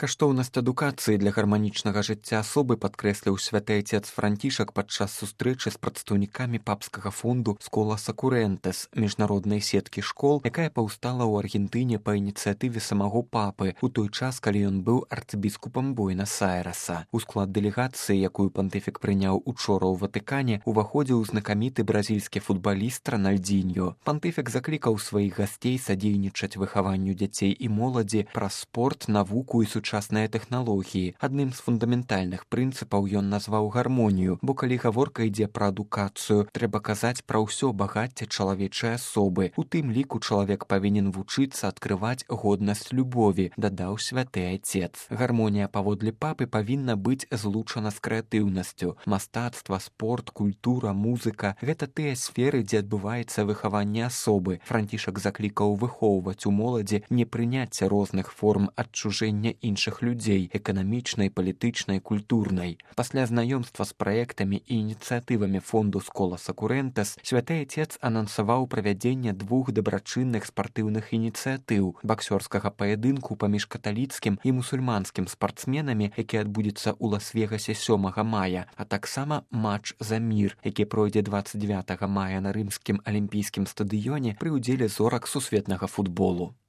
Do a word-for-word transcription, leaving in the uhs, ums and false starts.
Каштоўнасць адукацыі для гарманічнага жыцця асобы падкрэсліў святы айцец Францішак падчас сустрэчы з прадстаўнікамі папскага фонду «Скола Сакурэнтэс» міжнароднай сеткі школ, якая паўстала ў Аргентыне па ініцыятыве самого папы у той час, калі ён быў арцыбіскупам Буэнас-Айрэса. У склад дэлегацыі, якую пантыфік прыняў учора ў Ватыкане, уваходзіў знакаміты бразільскі футбаліст Рональдзіньо. Пантыфік заклікаў сваіх гасцей садзейнічаць выхаванню дзяцей і моладзі праз спорт, навуку і сучасныя тэхналогіі. Адным з фундаментальных прынцыпаў ён назваў гармонію, бо калі гаворка ідзе пра адукацыю, трэба казаць пра ўсё багацце чалавечай асобы. У тым ліку чалавек павінен вучыцца адкрываць годнасць любові, дадаў святы айцец. Гармонія паводле папы павінна быць злучана з крэатыўнасцю. Мастацтва, спорт, культура, музыка – гэта тыя сферы, дзе адбываецца выхаванне асобы. Францішак заклікаў выхоўваць у моладзі непрыняцце розных форм адчужэння іншых людзей – эканамічнай, палітычнай, культурнай. Пасля знаёмства з праектамі і ініцыятывамі фонду «Скола Сакурэнтэс» святы айцец анансаваў правядзенне двух дабрачынных спартыўных ініцыятыў – баксёрскага паядынку паміж каталіцкім і мусульманскім спартсменамі, які адбудзецца ў Лас-Вегасе сёмага мая, а таксама матч за мір, які пройдзе дваццаць дзевятага мая на рымскім алімпійскім стадыёне пры ўдзеле зорак сусветнага футболу.